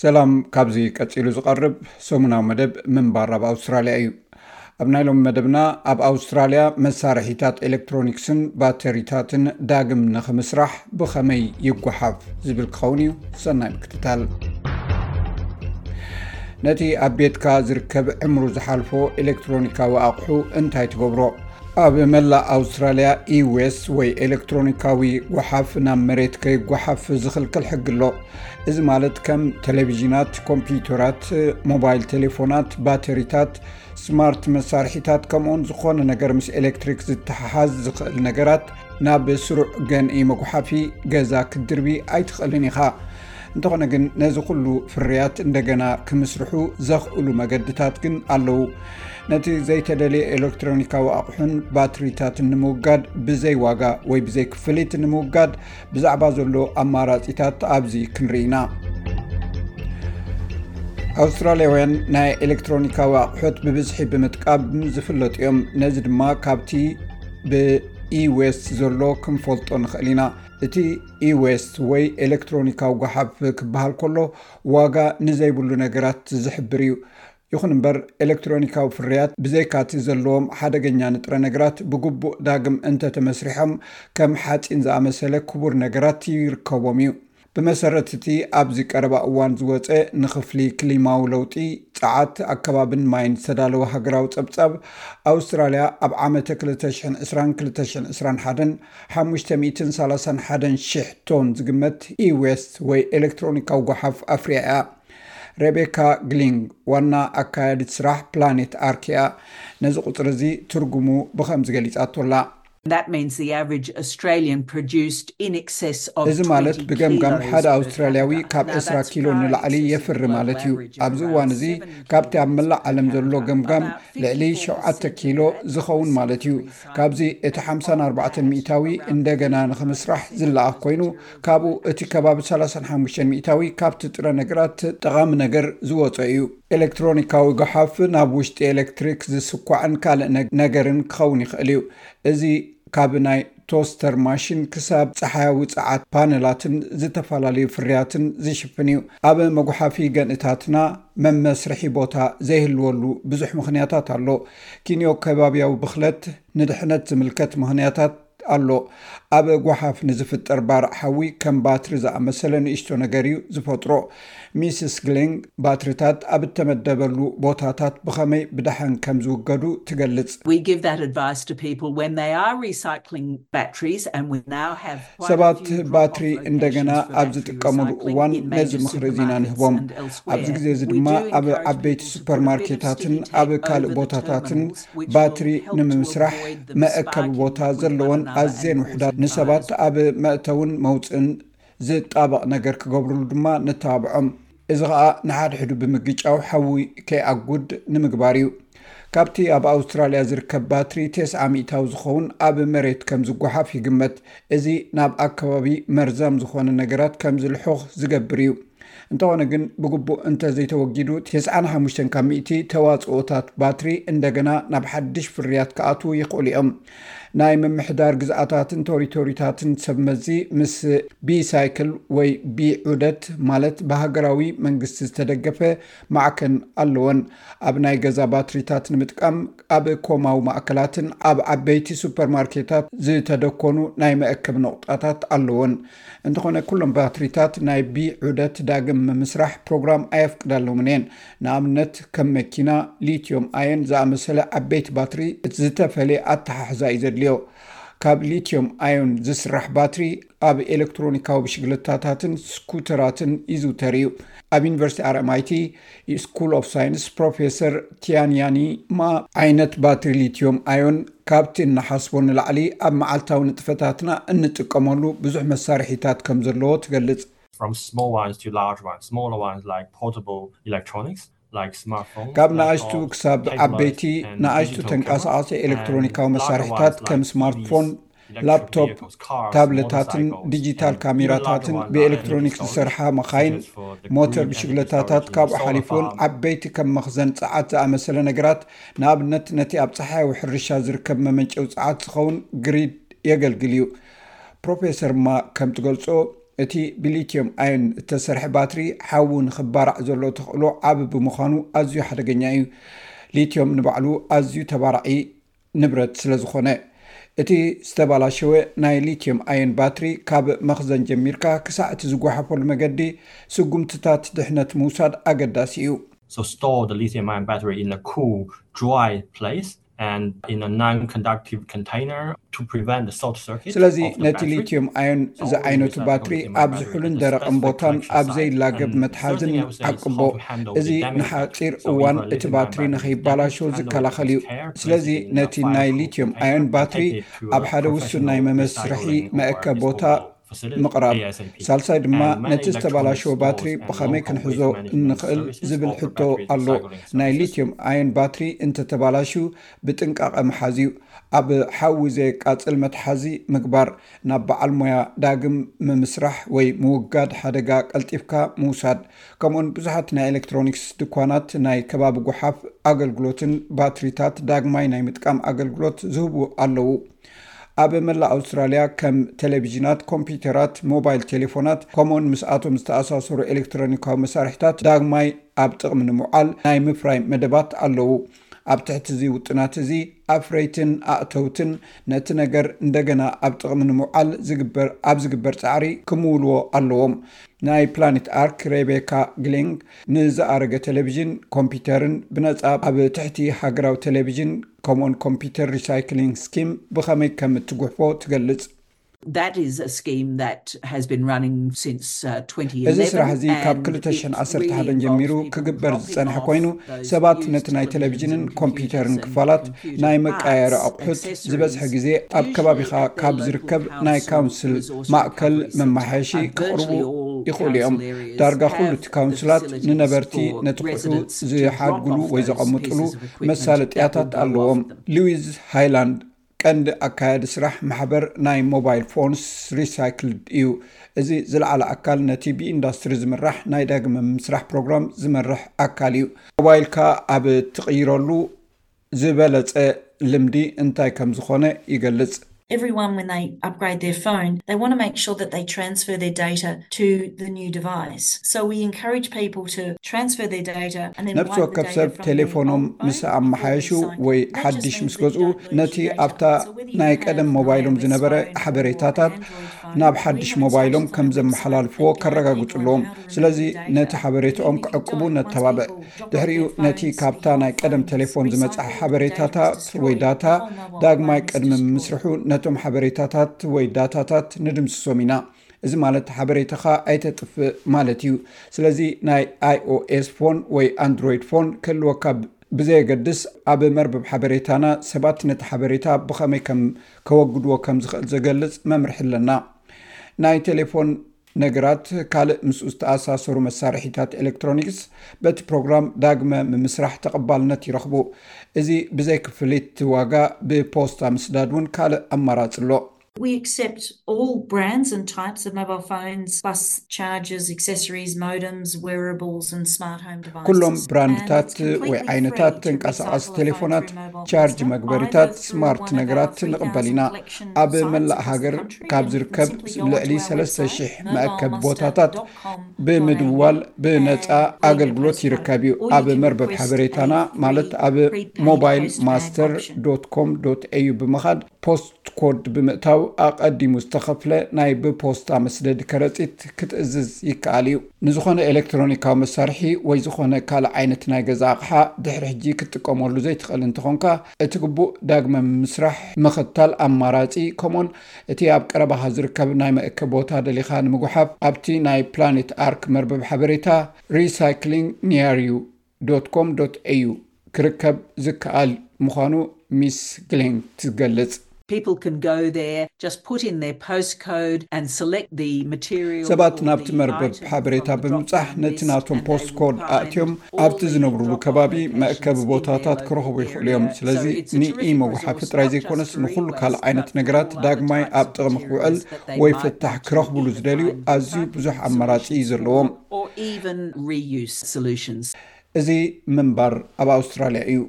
ሰላም። ካብዚ ቀጺሉ ዝቐርብ ሰሙናዊ መደብ ምንባር ኣብ ኣውስትራልያ እዩ። ኣብ ናይ ሎሚ መደብና፣ ኣብ ኣውስትራልያ መሳርሒታት ኤሌክትሮኒክስን ባተሪታትን ዳግም ንኽምስራሕ ብኸመይ ይጓሓፍ ዝብል ክኸውን እዩ። ሰናይ ምክትታል። ነቲ ኣብ ቤትካ ዝርከብ ዕምሩ ዝሓልፎ ኤሌክትሮኒካዊ ኣቕሑ እንታይ ትገብሮ? ኣብ መላእ ኣውስትራልያ e-waste ወይ ኤሌክትሮኒካዊ ጓሓፍ ናብ መሬት ከይጓሓፍ ዝኽልክል ሕጊ ኣሎ። እዚ ማለት ከም ቴሌቪዥናት፣ ኮምፒውተራት፣ ሞባይል ቴሌፎናት፣ ባተሪታት፣ ስማርት መሳርሒታት፣ ከምኡውን ዝኾነ ነገር ምስ ኤሌክትሪክ ዝተሓሓዝ ዝኽእል ነገራት ናብ ስሩዕ ገንኢ መጉሓፊ ገዛ ክትድርቢ ኣይትኽእልን ኢኻ። እንተኾነ ግን ነዚ ኩሉ ፍርያት እንደገና ክምስርሑ ዘኽእሉ መገድታት ግን ኣለዉ። ነቲ ዘይተደልየ ኤሌክትሮኒካዊ ኣቑሑን ባትሪታትን ንምውጋድ ብዘይ ዋጋ ወይ ብዘይ ክፍሊት ንምውጋድ ብዛዕባ ዘሎ ኣማራጺታት ኣብዚ ክንርኢ ኢና። ኣውስትራልያውያን ናይ ኤሌክትሮኒካዊ ኣቑሑት ብብዝሒ ብምጥቃም ዝፍለጡ እዮም። ነዚ ድማ ካብቲ ብ e-waste ዘሎ ክንፈልጦ ንኽእል ኢና። እቲ e-waste ወይ ኤሌክትሮኒካዊ ጓሓፍ ክበሃል ከሎ ዋጋ ንዘይብሉ ነገራት ዝሕብር እዩ። ይኹን እምበር ኤሌክትሮኒካዊ ፍርያት ብዘይካቲ ዘለዎም ሓደገኛ ንጥረ ነገራት ብግቡእ ዳግም እንተተመስሪሖም ከም ሓጺን ዝኣመሰለ ክቡር ነገራት ይርከቦም እዩ። ብመሰረት እቲ ኣብዚ ቀረባ እዋን ዝወጸ ንኽፍሊ ክሊማዊ ለውጢ፣ ጸዓት፣ ኣከባብን ማይን ዝተዳለወ ሃገራዊ ጸብጻብ፣ ኣውስትራልያ ኣብ ዓመተ ክልተ ሽሕን ዕስራን ክልተ ሽሕን ዕስራን ሓደን ሓሙሽተ ሚእትን ሰላሳን ሓደን ሽሕ ቶን ዝግመት e-waste ወይ ኤሌክትሮኒካዊ ጓሓፍ ኣፍርያ እያ። ሬቤካ ግሊንግ ዋና ኣካያዲት ስራሕ ፕላኔት ኣርክ እያ። ነዚ ቁጽሪ እዚ ትርጉሙ ብኸምዚ ገሊጻቶ ኣላ። That means the average Australian produced in excess of እዚ ማለት ብገምጋም ሓደ ኣውስትራልያዊ ካብ ዕስራ ኪሎ ንላዕሊ የፍሪ ማለት እዩ። ኣብዚ እዋን እዚ ካብቲ ኣብ መላእ ዓለም ዘሎ ገምጋም ልዕሊ ሸውዓተ ኪሎ ዝኸውን ማለት እዩ። ካብዚ እቲ ሓምሳን ኣርባዕተን ሚእታዊ እንደገና ንኽምስራሕ ዝለኣኽ ኮይኑ፣ ካብኡ እቲ ከባቢ ሰላሳን ሓሙሽተን ሚእታዊ ካብቲ ጥረ ነገራት ጠቓሚ ነገር ዝወጾ እዩ። ኤሌክትሮኒካዊ ጓሓፍ ናብ ውሽጢ ኤሌክትሪክ ዝስኳዕን ካልእ ነገርን ክኸውን ይኽእል እዩ። እዚ ካብ ናይ ቶስተር ማሽን ክሳብ ጸሓያዊ ጸዓት ፓነላትን ዝተፈላለዩ ፍርያትን ዝሽፍን እዩ። ኣብ መጉሓፊ ገንእታትና መመስርሒ ቦታ ዘይህልወሉ ብዙሕ ምኽንያታት ኣሎ። ኪንዮ ከባብያዊ ብኽለት፣ ንድሕነት ዝምልከት ምኽንያታት ኣሎ። ኣብ ጓሓፍ ንዝፍጠር ባርዕ ሓዊ ከም ባትሪ ዝኣመሰለ ንእሽቶ ነገር እዩ ዝፈጥሮ። ሚስስ ግሊንግ ባትሪታት ኣብ እተመደበሉ ቦታታት ብኸመይ ብደሓን ከም ዝውገዱ ትገልጽ። ሰባት ባትሪ እንደገና ኣብ ዝጥቀሙሉ እዋን ነዚ ምኽሪ እዚና ንህቦም። ኣብዚ ግዜ እዚ ድማ ኣብ ዓበይቲ ሱፐርማርኬታትን ኣብ ካልእ ቦታታትን ባትሪ ንምምስራሕ መእከቢ ቦታ ዘለወን ኣዝየን ውሕዳት፣ ንሰባት ኣብ መእተውን መውፅእን ዝጣበቕ ነገር ክገብርሉ ድማ ነተባብዖም። እዚ ኸኣ ንሓድሕዱ ብምግጫው ሓዊ ከይኣጉድ ንምግባር እዩ። ካብቲ ኣብ ኣውስትራልያ ዝርከብ ባትሪ ተስዓ ሚእታዊ ዝኸውን ኣብ መሬት ከም ዝጓሓፍ ይግመት። እዚ ናብ ኣከባቢ መርዛም ዝኾነ ነገራት ከም ዝልሑኽ ዝገብር እዩ። እንተኾነ ግን ብግቡእ እንተ ዘይተወጊዱ፣ ተስዓን ሓሙሽተን ካብ ሚእቲ ተዋጽኦታት ባትሪ እንደገና ናብ ሓድሽ ፍርያት ክኣትዉ ይኽእሉ እዮም። ናይ ምምሕዳር ግዝኣታትን ቶሪቶሪታትን ሰብ መዚ ምስ ቢሳይክል ወይ ቢዑደት ማለት ብሃገራዊ መንግስቲ ዝተደገፈ ማዕከን ኣለወን። ኣብ ናይ ገዛ ባትሪታት ንምጥቃም ኣብ ኮማዊ ማእከላትን ኣብ ዓበይቲ ሱፐርማርኬታት ዝተደኮኑ ናይ መእከቢ ነቑጣታት ኣለወን። እንተኾነ ኩሎም ባትሪታት ናይ ቢዑደት ዳግም ምምስራሕ ፕሮግራም ኣየፍቅዳሎምን እየን። ንኣብነት ከም መኪና ሊትዮም ኣየን ዝኣመሰለ ዓበይቲ ባትሪ ዝተፈልየ ኣተሓሕዛ እዩ ዘድልዮ። ካብ ሊትዮም ኣዮን ዝስራሕ ባትሪ ኣብ ኤሌክትሮኒካዊ ብሽግለታታትን ስኩተራትን ይዝውተር እዩ። ኣብ ዩኒቨርሲቲ ኣር ኤም ኣይ ቲ ስኩል ኦፍ ሳይንስ ፕሮፌሰር ቲያንያኒ ማ ዓይነት ባትሪ ሊትዮም ኣዮን ካብቲ እንሓስቦ ንላዕሊ ኣብ መዓልታዊ ንጥፈታትና እንጥቀመሉ ብዙሕ መሳርሒታት ከም ዘለዎ ትገልጽ። From small ones to large ones, smaller ones like portable electronics, like smartphones, ካብ ንኣሽቱ laptops, ክሳብ ዓበይቲ፣ tablets, and ንኣሽቱ digital ተንቀሳቓሲ cameras, ኤሌክትሮኒካዊ and larger መሳርሒታት ones ከም like ስማርትፎን፣ T Vs, electric ላፕቶፕ፣ vehicles, cars, ታብለታትን motorcycles, ዲጂታል and even larger ካሜራታትን ones ብኤሌክትሮኒክስ are ዝሰርሓ መኻይን፣ such as for the ሞተር green energy ብሽግለታታት፣ storage ካብኡ and solar ሓሊፉን farm. ዓበይቲ ከም መኽዘን ጸዓት ዝኣመሰለ ነገራት፣ ንኣብነት ነቲ ኣብ ጸሓያዊ ሕርሻ ዝርከብ መመንጨዊ ጸዓት ዝኸውን ግሪድ የገልግል እዩ። ፕሮፌሰር ማ ከም ትገልጾ፣ እቲ ብሊትዮም ኣዮን እተሰርሐ ባትሪ ሓዊ ንኽባራዕ ዘሎ ተኽእሎ ዓቢ ብምዃኑ ኣዝዩ ሓደገኛ እዩ። ሊትዮም ንባዕሉ ኣዝዩ ተባራዒ ንብረት ስለ ዝኾነ፣ እቲ ዝተባላሸወ ናይ ሊትዮም ኣዮን ባትሪ ካብ መኽዘን ጀሚርካ ክሳዕ እቲ ዝጓሓፈሉ መገዲ ስጉምትታት ድሕነት ምውሳድ ኣገዳሲ እዩ። So store the lithium ion battery in a cool, dry place and in a non-conductive container to prevent the short circuit. ስለዚ ነቲ ሊትዮም ኣዮን ዝዓይነቱ ባትሪ ኣብ ዝሑልን ደረቕን ቦታን ኣብ ዘይላገብ መትሓዝን ዓቅቦ። እዚ ንሓፂር እዋን እቲ ባትሪ ንኸይባላሾ ዝከላኸል እዩ። ስለዚ ነቲ ናይ ሊትዮም ኣዮን ባትሪ ኣብ ሓደ ውሱን ናይ መመስርሒ መእከብ ቦታ ምቕራብ። ሳልሳይ ድማ ነቲ ዝተባላሸወ ባትሪ ብኸመይ ክንሕዞ እንኽእል ዝብል ሕቶ ኣሎ። ናይ ሊትዮም ኣዮን ባትሪ እንተተባላሹ ብጥንቃቐ ምሓዝ እዩ። ኣብ ሓዊ ዘየቃጽል መትሓዚ ምግባር፣ ናብ በዓል ሞያ ዳግም ምምስራሕ ወይ ምውጋድ ሓደጋ ቀልጢፍካ ምውሳድ፣ ከምኡን ብዙሓት ናይ ኤሌክትሮኒክስ ድኳናት ናይ ከባቢ ጓሓፍ ኣገልግሎትን ባትሪታት ዳግማይ ናይ ምጥቃም ኣገልግሎት ዝህቡ ኣለዉ። ኣብ መላእ ኣውስትራልያ ከም ቴሌቪዥናት፣ ኮምፒውተራት፣ ሞባይል ቴሌፎናት ከምኡን ምስኣቶም ዝተኣሳሰሩ ኤሌክትሮኒካዊ መሳርሒታት ዳግማይ ኣብ ጥቕሚ ንምውዓል ናይ ምፍራይ መደባት ኣለዉ። ኣብ ትሕቲ እዚ ውጥናት እዚ ኣፍረይትን ኣእተውትን ነቲ ነገር እንደገና ኣብ ጥቕሚ ንምውዓል ዝግበር ኣብ ዝግበር ጻዕሪ ክምውልዎ ኣለዎም። ናይ ፕላኔት ኣርክ ሬቤካ ግሊንግ ንዝኣረገ ቴሌቪዥን ኮምፒውተርን ብነጻ ኣብ ትሕቲ ሃገራዊ ቴሌቪዥን ከምኡን ኮምፒውተር ሪሳይክሊንግ ስኪም ብኸመይ ከም እትጉሕፎ ትገልጽ። That is a scheme that has been running since uh, twenty eleven. እዚ ስራሕ እዚ ካብ ክልተ ሽሕን ዓሰርተ ሓደን ጀሚሩ ክግበር ዝጸንሐ ኮይኑ፣ ሰባት ነቲ ናይ ቴሌቪዥንን ኮምፒውተርን ክፋላት ናይ መቃየሪ ኣቑሑት ዝበዝሐ ግዜ ኣብ ከባቢኻ ካብ ዝርከብ ናይ ካውንስል ማእከል መማሓየሺ ክቕርቡ ይኽእሉ እዮም። ዳርጋ ኩሉ እቲ ካውንስላት ንነበርቲ ነቲ ቁሑ ዝሓድግሉ ወይ ዘቐምጥሉ መሳለጥያታት ኣለዎም። ሉዊዝ ሃይላንድ ቀንዲ ኣካያዲ ስራሕ ማሕበር ናይ ሞባይል ፎንስ ሪሳይክልድ እዩ። እዚ ዝለዓለ ኣካል ነቲ ብኢንዳስትሪ ዝምራሕ ናይ ዳግመ ምስራሕ ፕሮግራም ዝመርሕ ኣካል እዩ። ሞባይልካ ኣብ ትቕይረሉ ዝበለጸ ልምዲ እንታይ ከም ዝኾነ ይገልጽ። Everyone, when they upgrade their phone, they want to make sure that they transfer their data to the new device. So we encourage people to transfer their data and then ነብሲ ወከፍ ሰብ ቴሌፎኖም ምስ ኣመሓየሹ ወይ ሓድሽ ምስ ገዝኡ ነቲ ኣብታ ናይ ቀደም ሞባይሎም ዝነበረ ሓበሬታታት ናብ ሓድሽ ሞባይሎም ከም ዘመሓላልፍዎ ከረጋግጹ ኣለዎም። ስለዚ ነቲ ሓበሬታኦም ክዕቅቡ ነተባብዕ። ድሕሪኡ ነቲ ካብታ ናይ ቀደም ቴሌፎን ዝመጽኣ ሓበሬታታት ወይ ዳታ ዳግማይ ቅድሚ ምስርሑ ነቶም ሓበሬታታት ወይ ዳታታት ንድምስሶም ኢና። እዚ ማለት ሓበሬታኻ ኣይተጥፍእ ማለት እዩ። ስለዚ ናይ iOS ፎን ወይ ኣንድሮይድ ፎን ክህልወካ ብዘየገድስ ኣብ መርበብ ሓበሬታና ሰባት ነቲ ሓበሬታ ብኸመይ ከም ከወግድዎ ከም ዝኽእል ዘገልጽ መምርሒ ኣለና። ናይ ቴሌፎን ነገራት ካልእ ምስኡ ዝተኣሳሰሩ መሳርሒታት ኤሌክትሮኒክስ በቲ ፕሮግራም ዳግመ ምምስራሕ ተቐባልነት ይረኽቡ። እዚ ብዘይ ክፍሊት ዋጋ ብፖስታ ምስዳድ እውን ካልእ ኣማራጺ ኣሎ። We accept all brands and types of mobile phones, bus chargers, accessories, modems, wearables and smart home devices. ኩሎም ብራንድታት ወይ ዓይነታት ተንቀሳቐሲ ቴሌፎናት፣ ቻርጅ መግበሪታት፣ ስማርት ነገራት ንቕበል ኢና። ኣብ መላእ ሃገር ካብ ዝርከብ ልዕሊ ሰለስተ ሽሕ መእከቢ ቦታታት ብምድዋል ብነጻ ኣገልግሎት ይርከብ እዩ። ኣብ መርበብ ሓበሬታና ማለት ኣብ ሞባይል ማስተር ዶት ኮም ዶት ኤዩ ብምኻድ ፖስት ኮድ ብምእታው ኣቐዲሙ ዝተኸፍለ ናይ ብፖስታ መስደዲ ከረጺት ክትእዝዝ ይከኣል እዩ። ንዝኾነ ኤሌክትሮኒካዊ መሳርሒ ወይ ዝኾነ ካልእ ዓይነት ናይ ገዛ ኣቕሓ ድሕሪ ሕጂ ክትጥቀመሉ ዘይትኽእል እንተኾንካ፣ እቲ ግቡእ ዳግመ ምምስራሕ ምኽታል ኣማራጺ፣ ከምኡን እቲ ኣብ ቀረባኻ ዝርከብ ናይ መእከቢ ቦታ ደሊኻ ንምጉሓፍ ኣብቲ ናይ ፕላኔት ኣርክ መርበብ ሓበሬታ ሪሳይክሊንግ ኒያር ዩ ዶት ኮም ዶት ኤዩ ክርከብ ዝከኣል ምዃኑ ሚስ ግሌንግ ትገልጽ። People can go there, just put in their postcode and select the material. ሰባት ናብቲ መርበብ ሓበሬታ ብምብጻሕ ነቲ ናቶም ፖስት ኮድ ኣእትዮም ኣብቲ ዝነብሩሉ ከባቢ መእከቢ ቦታታት ክረኽቡ ይኽእሉ እዮም። ስለዚ ንኢ መጉሓፊ ጥራይ ዘይኮነስ ንኹሉ ካልእ ዓይነት ነገራት ዳግማይ ኣብ ጥቕሚ ክውዕል ወይ ፍታሕ ክረኽብሉ ዝደልዩ ኣዝዩ ብዙሕ ኣማራጺ እዩ ዘለዎም። Or even reuse solutions. እዚ ምንባር ኣብ ኣውስትራልያ እዩ።